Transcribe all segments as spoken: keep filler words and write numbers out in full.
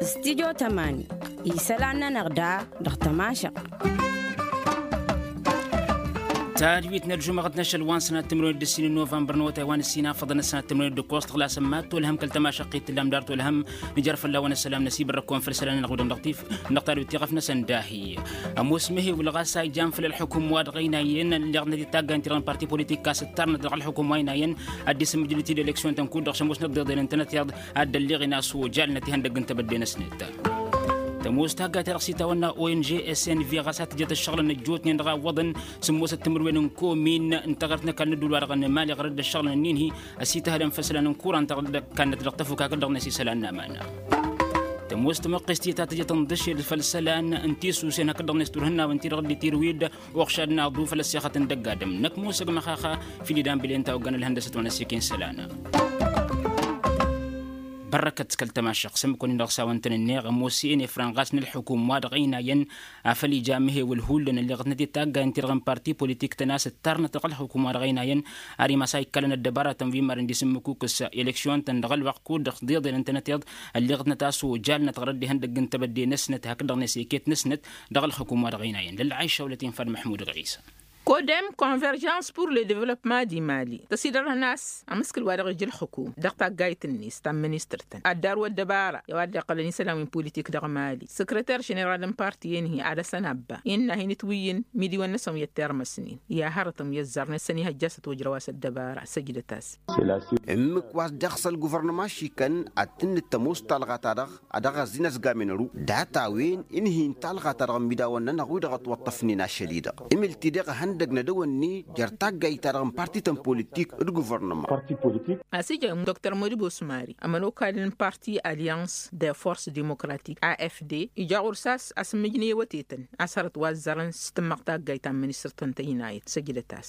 Stidyo tămani isălan-nănăɣ da dăɣ-tămašăɣt. Tadwit n-ălžumăɣăt n-ašăl wa n-sănat timǝrwen d-ǝssin n-novămbăr n-awătay wa n-ǝssin afăḍăn ăssanat timǝrwen d-ǝkkoẓ tăɣlasăn mad-tolhăm kăl-tămašăɣt-i t-tǝllam dar tolhăm. Nǝjăr fălla-wen ăssălam n-asibărrăk-kăwăn făll-isălan-nănăɣ wi-dăɣ dăɣ-tif. Dăɣ-tadwit tiɣăf-năsăn dahi ămoos mehewǝl ɣas a ijan făll-ălxukum wa dăɣ-ăynayăn ălleɣnăt d-taggayăn-ti-dăɣ n-parti politik a-s ǝttarnăt dăɣ-ălxukum wa ăynayăn ad-dd-isǝmmǝjǝl-t-dd eleksyon-tăn kud-dăɣ šămoosnăt d-iḍeḍen ǝntănăt iyyăḍ ad-dd-ălleɣen a-s ojalnăt ihăndăgg n-tebădde-năsnăt. Tămoos taggayt-ta-dăɣ s-itawănna ong s n v ɣas a tǝjăt ăššăɣǝlăn ăjjootnen dăɣ-a ǝwwăḍăn sǝmmosăt timǝrwen n-komin n-taɣărt n-ăkall n-ădduul-wa-dăɣ n-mali ɣărăt d-ăššăɣǝlăn-nin-hi ăsităhălăn făll-isălan n-kuran taɣărt d-ăkall-năt dăɣ-tăfuk hakd-dăɣ-net isălan n-amana. Tămoos tămăqqest-i ta tǝjăt ǝnḍǝšel făll-isălan n-tisusen hakd-dăɣ-net turhǝnnawen-ti-dăɣ dd-itirǝw-dd uɣšad n-aḍu făll-ăssexăt n-dăgg-adǝm năkk musăg măxaxa. Fil-idan bilen ta oggăn ălhăndăsăt wa n-ăssiken isălan. Bărrăkăt kăl-tămašăɣt s-ǝmmǝk-wăn-in-dăɣ s-a-wăn tăn-ǝnneɣ ămoos i-inefran ɣas n-ălxukum wa dăɣ-ăynayăn afăl ija amǝhewăl hullan ălleɣătnăt i-taggayăn-ti-dăɣ n-parti politik-tăn a-s ǝttarnăt dăɣ-ălxukum wa dăɣ-ăynayăn. Ar imas a ikkalăn ăddăbaratăn wi n-marăn d-isǝmmǝkukǝs eleksyon-tăn dăɣ-ălwăqq kud-dăɣ s-dd-iḍelăn-tănăt iḍ ălleɣătnăt a-s ojalnăt ɣărăt d-ihăndăgg n-tebădde-năsnăt hakd-dăɣ-net iket-năsnăt dăɣ-ălxukum wa dăɣ-ăynayăn lălɣayša wălăt infa d-măḥmud ɣisa. Kodem konverjans pur le devlopma di mali tăsidărhăn a-s amǝskǝl wa dăɣ-ija ălxukum dăɣ-taggayt-net ta n-ministăr-tăn ad-darǝw ăddăbara i-a-wa dd-iqqălăn isălan wi n-politik dăɣ-mali. Săkrăter ženeral n-parti-en-hi ad-dăɣ-săn abba innă a hin-ǝtwǝyyǝn midiwăn-năsăn wi ăttirmăsnen i-ad-hărătăn wi ăzzarnen s-ănihăjja a-s ătwăjrăw a-s ăddăbara săjdăt-as. Ǝmmǝk wa s-dd-iɣsăl guvărnăma šikan ad-tǝnnǝd tămoos talɣa-ta-dăɣ ad-dăɣ-ăzzin ăzgamen ăru data-wen ǝnhǝy n-talɣa-ta-dăɣ n-imidawăn-nănăɣ wi-dăɣ ătwăṭṭăfnen ašăl-i-dăɣ. Ǝmǝl-t-dd-iɣ ehăndăg n-ad-ăwănni jer-taggayt-ta-dăɣ n-parti-tăn politik d-guvărnăma. A-s ija dr modibos mari ămănokal n-parti alyans de force demokratik afd ija ɣur-s a-s asǝmmǝjnǝy ewătetăn a-s hărăt wa ăzzărăn s-tǝmmăɣ taggayt ta n-ministăr-tăn tăynayăt săjdăt-as.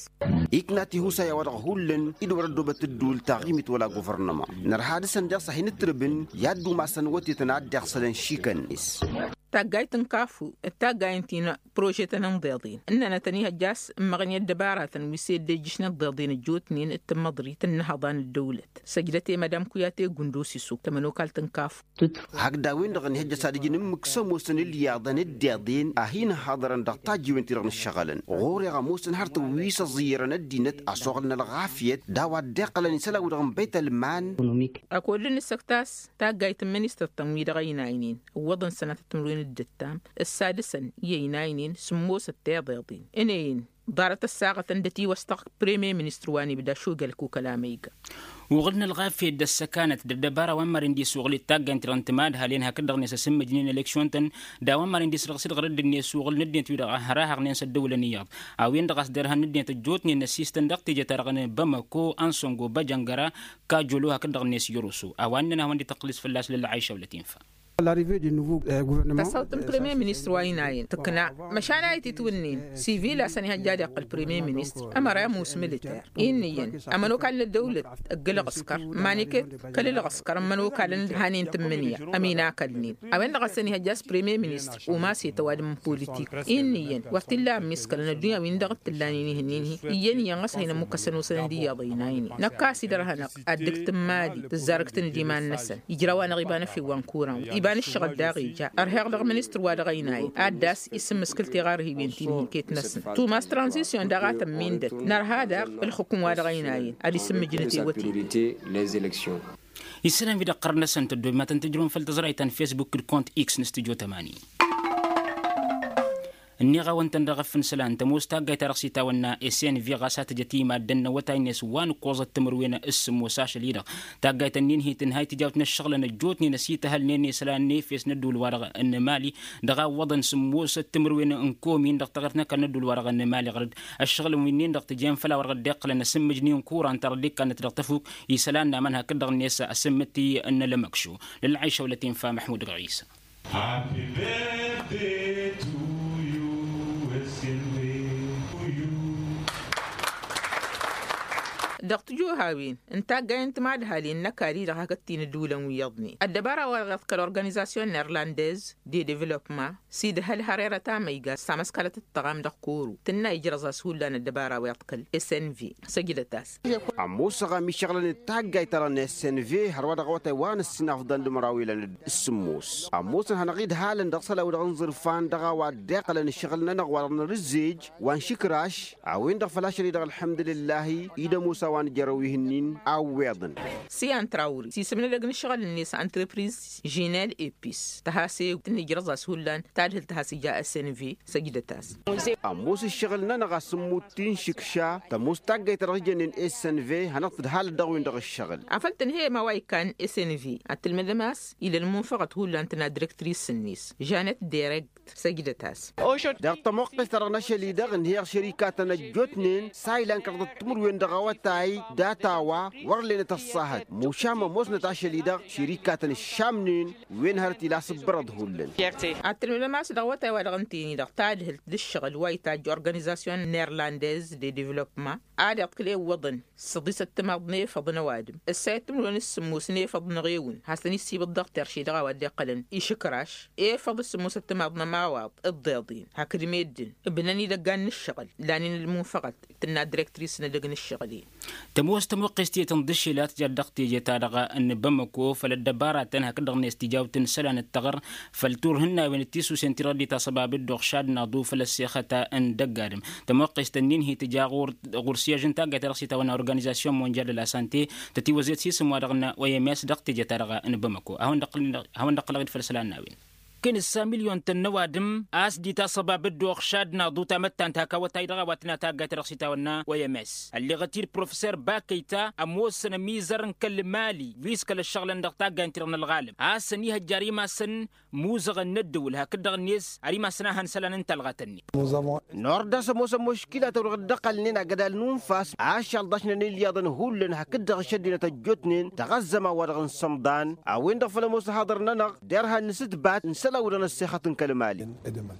Ikna tihusa i-a-wa-dăɣ hullan-i d-wăr-ăddoobăt ǝddǝwǝl taɣimit wăla guvărnăma. Nărha dăɣ-săn daɣ s-ad-hin-ǝtrǝbǝn i-ad-dumasăn iwătetăn a dd-iɣsălăn šikăn-net. Taggayt n-kafu d-taggayt n-ti n-prožetăn n-iḍeḍen ǝnnănăt ănihăjja a-s ǝmmăɣnen ăddăbaratăn wi s-e-dd-ejjǝšnăt d-iḍeḍen ăjjootnen d-tǝmmăḍrit n-inhăḍa n-ăddăwlăt. Săjdăt i-madam kuyate gundus isuk tămănokalt n-kafu. Hakd a-wen-dăɣ ănihăjja a-s ad-ǝjǝn ǝmmǝk s-ămoosăn ǝlyaḍăn d-iḍen a hin-ǝhhaḍărăn dăɣ-tajjiwen-ti-dăɣ n-ǝššăɣǝlăn ɣur-e ămoosăn hărătăn wi s-ăẓẓiyyărăn ăddinăt a-s oɣǝlăn ălɣafyăt d-a-wa dd-iqqălăn isălan-wi-dăɣ n-băytălman. Akăwăl dd-nǝssăkt a-s taggayt n-ministăr-tăn wi dăɣ-ăynaynen ǝwwăḍăn sănatăt timǝrwen d-ǝttam ǝssadǝsăn i-ăynaynen sǝmmosăt tiḍeḍen ǝnăyăn ḍarăt ăssaɣătăn d-ătiwăstăɣ. Premye ministăr wa n-ibda šugăl kukăla măyga. Uɣǝl n-ălɣafyăt d-ăssăkanăt d-ăddăbara wa n-maren d-isuɣǝl d-taggayt-tăn timad halen hakd-dăɣ-net asǝmmǝjnen eleksyon-tăn d-a-wa n-maren d-isrăɣsǝd ɣărădd-net suɣǝl n-ăddinăt-wi-dăɣ a hărahăɣnen s-ăddăwǝlăn iyyăḍ. A-wen-dăɣ a-s derhan n-ăddinăt ăjjootnen n-ăsistăn dăɣ-teje-ta-dăɣ n-bamako ansongo băjăngăra kajolo hakd-dăɣ-net yoroso a-wa ǝnnăn a hawăn-dd-ităqqǝl s-fălla-s lălɣayša wălăt infa. Tăsăɣt n-premye ministăr wa ăynayăn tǝkna măšan a ititwǝnnen sivil a-s ănihăjja ad-iqqǝl premye ministăr ămăra i-ămoos militer. Innă iyyăn ămănokal n-ăddăwlăt ăgg-ǝlɣǝskăr maniket kăl-ǝlɣǝskăr n-ămănokal n-hanen tǝmmǝnǝya ăminakălnen a-wen-dăɣ a-s ănihăjja a-s premye ministăr umas i-tăwadǝm n-politik. Innă iyyăn wăr t-illa ămmiskălăn ăddunya-win-dăɣ t-ǝllanen ihǝnnin-hi iyyăn iyyăn ɣas a hin-ămmukăsăn osăn d-iyyăḍ ăynaynen năkk a-s idărhănăɣ ad-dd-tǝmmali tǝzzarǝkt n-dd-iman-năsăn ijraw-anăɣ iba n-efew wa n-kuran iba n-ǝššăɣǝl daɣ ija ărheɣ dăɣ-ministăr wa dăɣ-ăynayăn ad-dd-a-s isǝmmǝskǝl tiɣarhiwen ti n-iket-năsăn tumas tranzisyon daɣ a tămmindăt nărha daɣ ǝlxǝkǝm wa dăɣ-ăynayăn ad-isǝmmǝjnǝt i-wătăy. Isălan wi dăɣ-iqqărăn-năsăn tăddoobem ad-tăn-tǝjrǝwăm făll-tăẓrayt ta n-fesbuk d-kont x n-studyo tămani. Ǝnniɣ-awăn-tăn dăɣ-efăn isălan tămoos taggayt-ta-dăɣ s-itawănna snv ɣas a tǝjăt i-maddǝn n-awătay-net wa n-ǝkkoẓăt timǝrwen s-sǝmmos ašăl-i-dăɣ. Taggayt-ǝnnin-hi tǝnhay tijawt n-ǝššăɣǝlăn ăjjootnen ăsităhălnen i-isălan n-efes n-ădduul-wa-dăɣ n-emali dăɣ-a ǝwwăḍăn sǝmmos timǝrwen n-komin dăɣ-taɣirt n-ăkall n-ădduul-wa-dăɣ n-emali ɣărăt. Ǝššăɣǝlăn wi-nin-dăɣ tǝjen făll-a-wa dăɣ-dd-iqqălăn asǝmmǝjnen kuran ta dăɣ-dd-ikkannăt dăɣ-tăfuk isălan n-aman hakd-dăɣ-net asǝmmǝt-i n-ălmăkšu. Lălɣayša wălăt infa măḥmud dăɣ-isa. Dăɣ-tijuhawen n-taggayen timadhalen n-ăkall-i-dăɣ hakd tinǝdulăn wi iyyăḍnen ăddăbara-wa-dăɣ iḍkăl organizasyon n-irlandez de devălopma s-idhăl hărerăt amăyga s-tamăskalăt d-tăɣam dăɣ-koro tǝnna ijrăẓ-as hullan ăddăbara-wa iḍkăl s n v. Săjdăt-as. Ămoos ăɣam iššăɣǝlăn d-taggayt-ta-dăɣ n-s n v hărwa dăɣ-awătay wa n-ǝssin afḍăn d-măraw ilăn d-sǝmmos ămoosăn hanăɣ-idhalăn dăɣ-isălan-wi-dăɣ n-iẓǝrfan dăɣ-a-wa dd-iqqălăn ǝššăɣǝl-nănăɣ wa dăɣ-nărǝzzej wa n-išǝkraš. A-wen-dăɣ făl ašăl-i-dăɣ ălḥămdǝlǝllahi idămoos a-wa nǝjărrăw ihǝnnin a ǝwweḍăn. Siyan trawri s-isǝm n-edăgg n-ǝššăɣǝl-net ăntrăpriz žinel epis tăhase tǝnnǝjrăẓ-as hullan tadhǝlt has-ija s n v. Săjdăt-as. Ămoos ǝššăɣǝl-nănăɣ a-s ǝmmut ti n-išǝkša tămoos taggayt ta dăɣ-s jănnen s n v hanăɣ-tǝdhalăt dăɣ-wen-dăɣ ǝššăɣǝl. Afăl tǝnhăyăm a-wa ikkan s n v ad-tǝlmǝdăm a-s ila ălmunfăɣăt hullan tǝnna direktris-net žanet dereg. Săjdăt-as. Dăɣ-tămoqqes-ta-dăɣ n-ašăl-i-dăɣ ǝnhăyăɣ šărikatăn ăjjootnen s-a ilan kăraḍăt timǝrwen dăɣ-awătay data-wa wăr lenăt ăṣṣahăt mušam ămoosnăt ašăl-i-dăɣ šărikatăn ǝššamnen. Wen hărăt ila s-ǝbbărăḍ hullan. Ad-tǝlmǝdăm a-s dăɣ-awătay-wa-dăɣ ǝnta-en-i-dăɣ tadhǝlt d-ǝššăɣǝl wa itajj organizasyon n-irlandez de devălopma ad-iḍkǝl ewwăḍăn s-ăḍisăt timaḍ n-efăḍ n-ăwadǝm ǝssayăt timǝrwen s-sǝmmos n-efăḍ n-eɣewǝn hasăn-issibǝḍ dăɣ-terše dăɣ-a-wa dd-iqqălăn išǝkraš efăḍ s-sǝmmosăt timaḍ n-ămawaḍ. Ǝḍḍeḍen hakd meddǝn ǝbnăn idăggan n-ǝššăɣǝl lanen ălmunfăɣăt tǝnna direktris n-edăgg n-ǝššăɣǝl-en. Tămoos tămuqqes tiyyăt n-iḍǝššel a tǝjăr dăɣ-teje-ta-dăɣ n-bamăko făll-ăddăbaratăn hakd-dăɣ-net tijawt n-isălan d-taɣăr făll-turhǝnnawen d-tisusen-ti-dăɣ ăddinăt a săbab dd-oɣšad n-aḍu făll-ăssexăt n-dăgg-adǝm. Tămuqqes-tăn-in hi-tǝja ɣur-siyăž n-taggayt ta dăɣ-s itawănna organizasyon monjal d-la sante tătiwăzzet s-isǝm-wa-dăɣ n-oms dăɣ-teje-ta-dăɣ n-bamăko. Hawăn-dd-ăqqǝlăɣ-dd făll-isălan n-a-wen. Kănǝssa milyon-tăn n-ăwadǝm a-s dd-itasăbab dd-oɣšad n-aḍu tamăttant hak awătay dăɣ-a-wa tǝnat taggayt ta dăɣ-s itawănna oms. Ălleɣăt-dd professer bakăyta ămoosăn ămizăr n-kăl-mali wi s-kăl-ăššăɣǝlăn dăɣ-taggayt-ti-dăɣ n-ălɣalăm a-s ăniihăjja ar imassăn imuzăɣăn n-ăddǝwǝl hakd-dăɣ-net ar imassăn ad-hăn isălan n-talɣa tăn-in. Nord a-s ămoosăn muškila tăwrăɣ dd-ăqqălnen agădal n-unfas ašăl ḍašnen ilyaḍăn hullan hakd-dăɣ ăššăddinăt ăjjootnen dăɣ-ăzzăman-wa-dăɣ n-sămḍan. A-wen-dăɣ făl ămoos ăhaḍăr-nănăɣ derhan n-asǝtbat n-isălan-wi-dăɣ n-ăssexăt n-kăl-mali.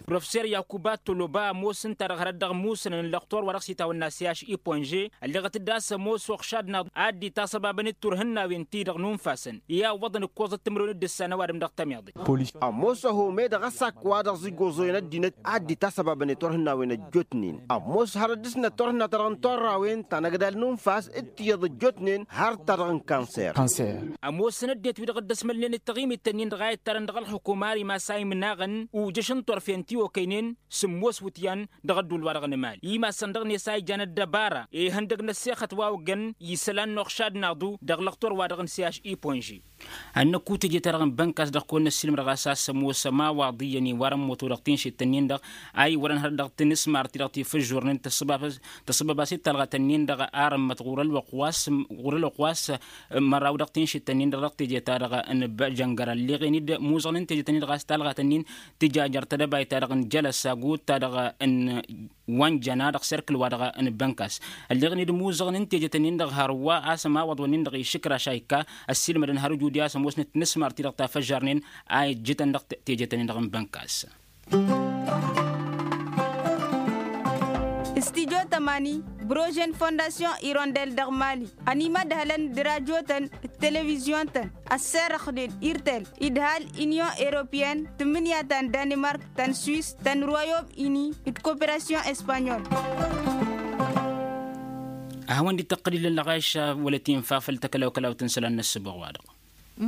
Professer yakuba toloba ămoos ǝnta-dăɣ hărăt dăɣ-imusǝnăn n-lăxtor wa dăɣ-s itawănna siyaš iponže ălleɣăt-dd a-s ămoos oɣšad n-aḍu ad-dd-itasăbabăn d-turhǝnnawen-ti-dăɣ n-unfasăn i-awwăḍăn ǝkkoẓăt timǝrwen d-ǝssan ăwadǝm dăɣ-tamiḍe. Ămoos ăhome dăɣ-asakk wa dăɣ-s ǝjjoẓăyăn ăddinăt ad-dd-itasăbabăn i-turhǝnnawen ăjjootnen ămoos hărăt dăɣ-s n-turhǝnna-ta-dăɣ n-turrawen ta n-agdal n-unfas d-tiyyăḍ ăjjootnen har-ta-dăɣ n-kanser. Ămoosăn ăddinăt wi-dăɣ dd-ăsmălnen d-taɣimit-tăn-in-dăɣ a ittarăn dăɣ-ălxukuma ar imass a imnaɣăn ujǝš n-turfen ti okăynen sǝmmos wǝtyan dăɣ-ădduul-wa-dăɣ n-emali imassăn dăɣ-net a ijan ăddăbara ihăndăg n-ăssexăt wa oggăn isălan n-oɣšad n-aḍu dăɣ-lăxtor-wa-dăɣ n-siyaš iponže. Ad-năkku teje-ta-dăɣ n-bănkas dăɣ-kăwăn-năssiilmădăɣ a-s a-s ămoos ămawaḍ iyyăn iwarăn moto dăɣ-tinšit-tăn-in-dăɣ a iwărăn hărăt dăɣ-tinǝsmar-ti-dăɣ tifǝžžurnen tăssăbab-as i-talɣa-tăn-in-dăɣ arǝmmăt ɣur-ălwăqq wa s-măraw dăɣ-tinšit-tăn-in-dăɣ dăɣ-teje-ta-dăɣ n-băjăngăr ălleɣen-dd muzăɣnen teje-tăn-in-dăɣ a-s talɣa-tăn-in tǝja jer-tedăbayt-ta-dăɣ n-jălăs agut-ta-dăɣ n-wa n-jăna dăɣ-serkǝl-wa-dăɣ n-bănkas. Ălleɣen-dd muzăɣnen teje-tăn-in-dăɣ hărwa a-s ămawăḍ-wăn-in-dăɣ išǝkraš a ikka ăssiilmădăn har ǝjud i-a-s ămoosnăt tinǝsmar-ti-dăɣ ta făžžarnen a ijjǝtăn dăɣ-teje-tăn-in-dăɣ n-bănkas. Studyo tămani brožen fondasyon irondel dăɣ-mali ănimădhălăn d-rajotăn d-televizyon-tăn ăsserăxnen irtel idhal inyon europeyăn tǝmmǝnǝya ta n-danimark ta n-swis ta n-royom ini d-koperasyon espanyol. A hawăn-dd-tăqqăl illăn lăɣayša wăla tinfa făll-takălaw-kălawt n-isălan n-ăssǝboɣ-wa-dăɣ.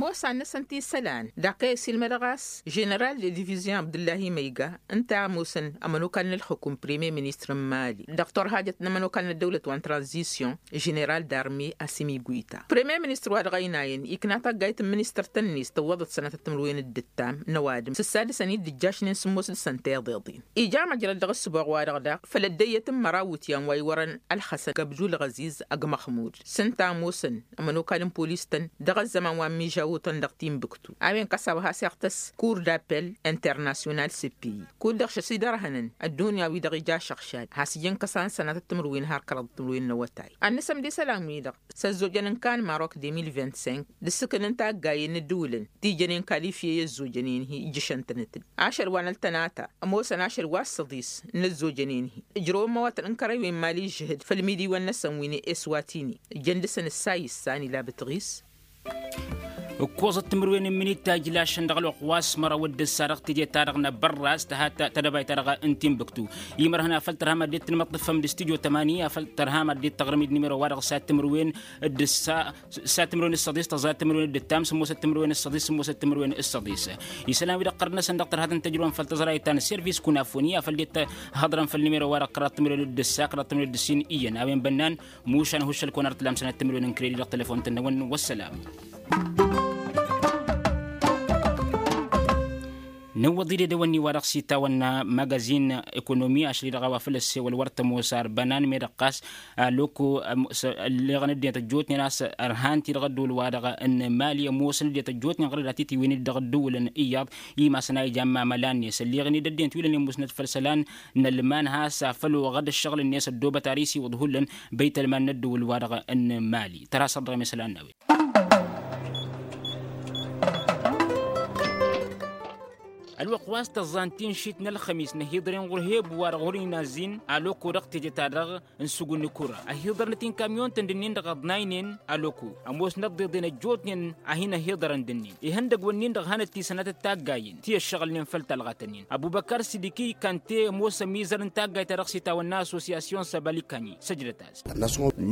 Mosa-năsăn ti isălan dăɣ-kăy-ăsilmădăɣ a-s ženeral de divizyon abdǝllahi măyga ǝnta a ămoosăn ămănokal n-ǝlxǝkum premier ministăr n-mali dăɣ-turhajăt n-ămănokal n-ăddăwlăt wa n-tranzisyon ženeral d-armi asimi guyta premier ministăr wa dăɣ-ăynayăn ikna taggayt n-ministăr-tăn-net tǝwwăḍăt sănatăt timǝrwen d-ǝttam n-ăwadǝm s-ǝssadǝsăn-dd ǝjjašnen sǝmmos dăɣ-săn tiḍeḍen. Ija măjrăd dăɣ-ǝssǝboɣ-wa-dăɣ daɣ făll-ăddăyyăt n-măraw iwǝtyan wa iwărăn ălxăsăn kăbdul ɣăziz ăgg-măxmud s-ǝnta a ămoosăn ămănokal n-polis-tăn dăɣ-ăzzăman wa n-miža. ăwwătăn dăɣ-timbuktu a-wen kăsawăt has-iɣtăs kur d-apel internasyonal s-pi. Kud-dăɣ šăsidărhănăn ăddunya-wi-dăɣ ija ašăɣšad has-ijăn kăsan sănatăt timǝrwen har kăraḍăt timǝrwen n-awătay ad-nǝsăm d-isălan-wi-dăɣ s-ăzzojăn n-kan marok de mil vint-cinq d-ǝssǝkǝl n-taggayen n-ǝddǝwǝlăn ti jănen kalifye i-ăzzojănen-hi ǝjjǝšăn-tănăt-dd ašăl wa n-ăltănata ămoosăn ašăl wa s-săḍis n-ăzzojănen-hi ǝjrăwăn măwatăn n-kărewen mali žăhǝd făll-imidiwăn-năsăn wi n-eswatini ǝjăn dăɣ-săn ǝssa issan ila bǝtɣis. Ǝkkoẓăt timǝrwen n-imǝnit ta ijlašăn dăɣ-ălwăqq wa s-măraw d-ǝssa dăɣ-teje-ta-dăɣ n-abărras tăhat tadăbayt-ta-dăɣ n-timbuktu imărhăn afăl tărham ad-dd-tǝnmăḍtăfăm d-studyo tămani afăl tărham ad-dd-tăɣrǝm-dd nimero-wa-dăɣ s-ad-timǝrwen d-ǝssa s-ad-timǝrwen s-săḍis tăẓa timǝrwen d-ǝttam sǝmmosăt timǝrwen s-săḍis sǝmmosăt timǝrwen s-săḍis. Isălan-wi-dăɣ ɣărnăsăn dăɣ-tărhatăn tăjrăwăn făll-tăẓrayt ta n-service kunafoni afăl dd-tăhăḍrăm făll-nimero-wa-dăɣ kăraḍ timǝrwen d-ǝssa kăraḍ timǝrwen d-ǝssin iyyăn a-wen bănnan mušan huššăl-kăwăn ar t-lam sănat timǝrwen n-kredi dăɣ-telefon-tăn-năwăn. Wăssălam. Nǝwwăḍ-dd edăwănni-wa-dăɣ s-itawănna magazin ekonomi ašăl-i-dăɣ a-wa făl ăssewăl wăr tămoos ar bănan meddǝɣ ɣas aloko ălleɣăn ăddinăt ăjjootnen a-s ărhan-t-i dăɣ-ădduul-wa-dăɣ n-mali ămoosăn ăddinăt ăjjootnen ɣărăd ad-titiwǝyăn-dd dăɣ-ădduulăn iyyăḍ imasăn a ijan mamăla-net ălleɣăn-dd ăddinăt wi lănen musnăt făll-isălan n-ălman has-afăl oɣăd ăššăɣǝl-net ăddoobăt ar isiwǝḍ hullan băyt-ălman n-ădduul-wa-dăɣ n-mali tărha săr dăɣ-emesălan n-a-wen. Ălwăqq wa s-tăẓẓa n-tinšit n-ălxămis n-ăhiḍăren ɣur-hebu wa dăɣ-hurǝy n-azzin aloko dăɣ-teje-ta-dăɣ n-sǝgg n-ikura ăhiḍărnăt-i n-kamyon-tăn d-ǝnnin-dăɣ ăḍnaynen aloko ămoosnăt ăḍḍeḍen ăjjootnen a hin-ăhiḍărăn d-ǝnnin ihăndăgg-wǝnnin-dăɣ hanăt-tisănatăt taggayen ti ăššăɣǝlnen făll-talɣat-ǝnnin ăbubăkar sidiki kante ămoos ămizăr n-taggayt-ta-dăɣ s-itawănna assosyasyon săbalikanyi săjdăt-as.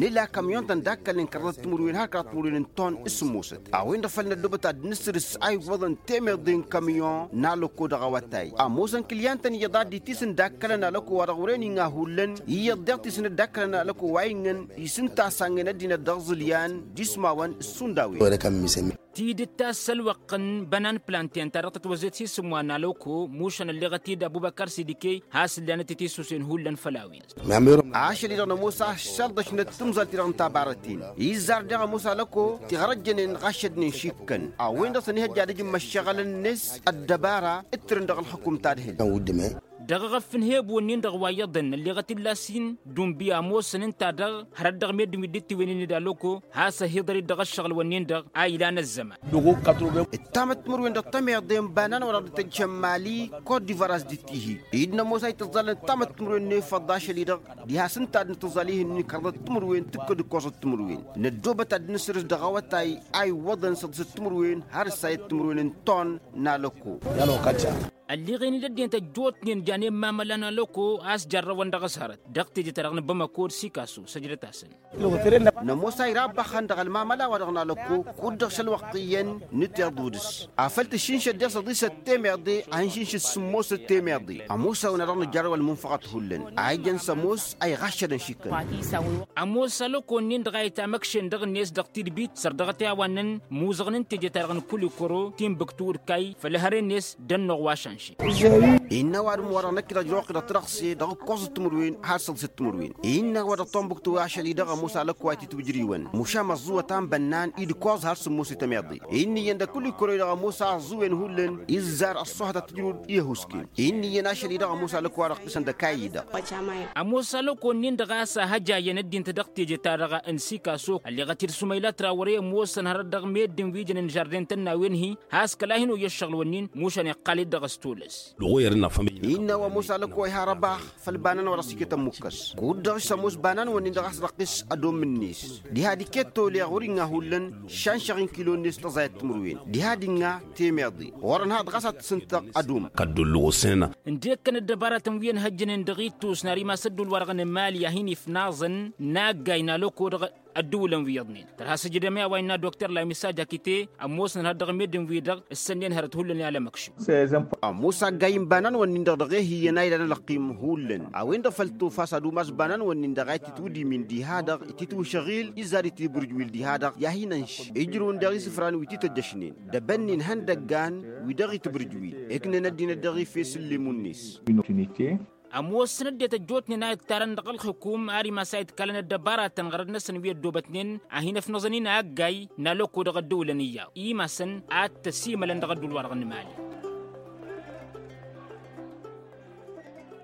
Nǝla kamyon-tăn d-akkălnen kăraḍăt timǝrwen har kăraḍăt timǝrwen n-ton s-sǝmmosăt a-wen-dăɣ făl năddobăt ad-nǝsrǝs a iwwăḍăn temeḍe n-kamyon n-alăko dăɣ-awătay ămoosăn kǝlyan-tăn iyyăḍ a dd-itisǝn d-akkălăn alăko wa dăɣ-wăren iŋa hullan iyyăḍ deɣ tisǝnăt d-akkălăn alăko wa iŋăn isǝnta a sangen ăddinăt dăɣ-iẓǝlyan d-ismawăn s-sund a-wen. Tidǝt ta s-ălwăqq n-bănan planten ta dăɣ-tătwăzzet s-isǝmwa n-alăko mušăn ălleɣăt-dd abubăkar sidike has-ǝllanăt i-tisusen hullan făll-a-wen. Ašăl-i-dăɣ nămoos a šălḍăšnăt timẓal-ti-dăɣ n-tabarăten izzar daɣ ămoos alăko tiɣrăjjănen ɣašădnen šikkăn a-wen-dăɣ săn ihăjja ad-ǝjǝm ăššăɣǝl-net ăddăbara ǝttǝrăn dăɣ-ălxǝkum tadhǝlt. Dăɣ-eɣăf n-hebu-ǝnnin-dăɣ wa iyyăḍăn ălleɣăt-dd lasin d-unbi a ămoosăn ǝnta-dăɣ hărăt dăɣ-meddǝn wi dd-tiwǝynen d-alăko has-ăhiḍăr-dd dăɣ-ăššăɣǝl-wǝnnin-dăɣ a ilan ăzzăman. Ǝttamăt timǝrwen dăɣ-temeḍe n-banan wa dăɣ-dd-tăjjăn mali kot divar a-s dd-tihi-dd nămoos a itǝẓẓalăn ǝttamăt timǝrwen n-efăḍ ašăl-i-dăɣ diha s-ǝnta ad-nǝtǝẓẓal ih'-ǝnnin kărḍăt timǝrwen tǝkkăd ǝkkoẓăt timǝrwen năddoobăt ad-dd-nǝsrǝs dăɣ-awătay a iwwăḍăn săḍǝsăt timǝrwen har ǝssayăt timǝrwen n-ton n-alăko. Ălleɣen-dd ăddinăt ăjjootnen janen mamăla n-alăko a-s jarrăwăn dăɣ-s hărăt dăɣ-teje-ta-dăɣ n-bamăko d-sikaso săjdăt-asăn. Nămoos a irabbăxăn dăɣ-ălmamăla wa dăɣ-nalăkko kud-dăɣ šălwăqq iyyăn nǝteḍ udǝs afăl tǝššǝnšăd dăɣ-s ăḍisăt temeḍe a hin-šǝnšǝd sǝmmosăt temeḍe ămoos a-wen a dăɣ-nǝjjărrăw ălmunfăɣăt hullan a ijăn s-ămoos a iɣaššădăn šikkăn. Ămoos alăkko-nin-dăɣ a itamăkšen dăɣ-net dăɣ-tidbit săr dăɣ-t i-a-wa ǝnnăn imuzăɣăn n-teje-ta-dăɣ n-kulikoro timbuktu d-kay făll-ehăre-net d-ănnuɣ wa šanše. Innă ăwadǝm-wa-dăɣ năkk-i-dăɣ ǝjrăwăɣ-t-i dăɣ-tărăɣse dăɣ-ǝkkoẓăt timǝrwen har săḍisăt timǝrwen. Innă wa dăɣ-tombuktu ašăl-i-dăɣ ămoos alăkko a itǝtwǝjriwăn mušam ăẓẓuwăt a n-bănnan i-dd-ǝkkoẓ har sǝmmosăy tămeḍe. Innă iyyăn dăɣ-kulikoro-i-dăɣ ămoos a ăẓẓuwen hullan izzar ăṣṣuhăt ad-tǝjrǝwăd i-ăhuusken. Innă iyyăn ašăl-i-dăɣ ămoos alăkko a dăɣ-tǝsăn d-ăkayy-i-dăɣ. Ămoos alăkko-nin-dăɣ a-s a hăjayăn ăddinăt dăɣ-teje-ta-dăɣ n-sikaso ălleɣăt-dd sumayla trawăre ămoosăn hărăt dăɣ-meddǝn wi jănen žarden-tăn n-a-wen-hi has-kăla hin-oyya ǝššăɣǝl-wǝnnin mušan iqqal-dd dăɣ-s tolăs. Innă wa ămoos alăkko a iha răbax făll-banan wa dăɣ-s iket ămmukkăs kud-dăɣ s-ămoos banan-wǝnnin-dăɣ a-s răqqis ădom-net diha d-iket toleɣ wăr-iŋa hullan šanšăɣ-in kilo-net tăẓayăt timǝrwen diha d-iŋa temeḍe ɣur-ănhaḍ ɣas ad-t-sǝntăɣ ădom. Ǝndekkăn ăddăbaratăn wi ănhăjjănen dăɣ-ittus n-ar imas ădduul-wa-dăɣ n-emali a hin-ifnaẓăn n-aggay n-alăko dăɣ-ădduulăn wi iyyăḍnen tărha s-ǝjdăm i-a-wa innă dokter lamisa jakite ămoosnăn har dăɣ-meddǝn-wi-dăɣ ǝssănnen hărăt hullan i-alămăkšǝw. Ămoos aggay n-ibanan-wǝnnin-dăɣ dăɣ-e hi iyyăn a ilan ălăqqim hullan a-wen-dăɣ făll-tofa s-ad-umas banan-wǝnnin-dăɣ a itǝtwǝdimǝn diha-dăɣ itǝtwǝšăɣil izzar itǝbrǝjwil diha-dăɣ i-ad-hin-ănš ijrǝwăn daɣ isǝfran wi t-ităjjăšnen dăbănnin ihăndăggan wi dăɣ-itǝbrǝjwil ǝknăn ăddinăt dăɣ-ife s-ǝllemmu-net. ămoosăn ăddinăt ăjjootnen a ittarăn dăɣ-ălxǝkum ar imas a itkalăn ăddăbaratăn ɣărăd-năsăn wi ăddoobătnen a hin-ăfnăẓăn-in a ăggay n-alăko dăɣ-ăddăwlăn iyyăḍ imasăn ad-t-ăsimălăn dăɣ-ădduul-wa-dăɣ n-imali.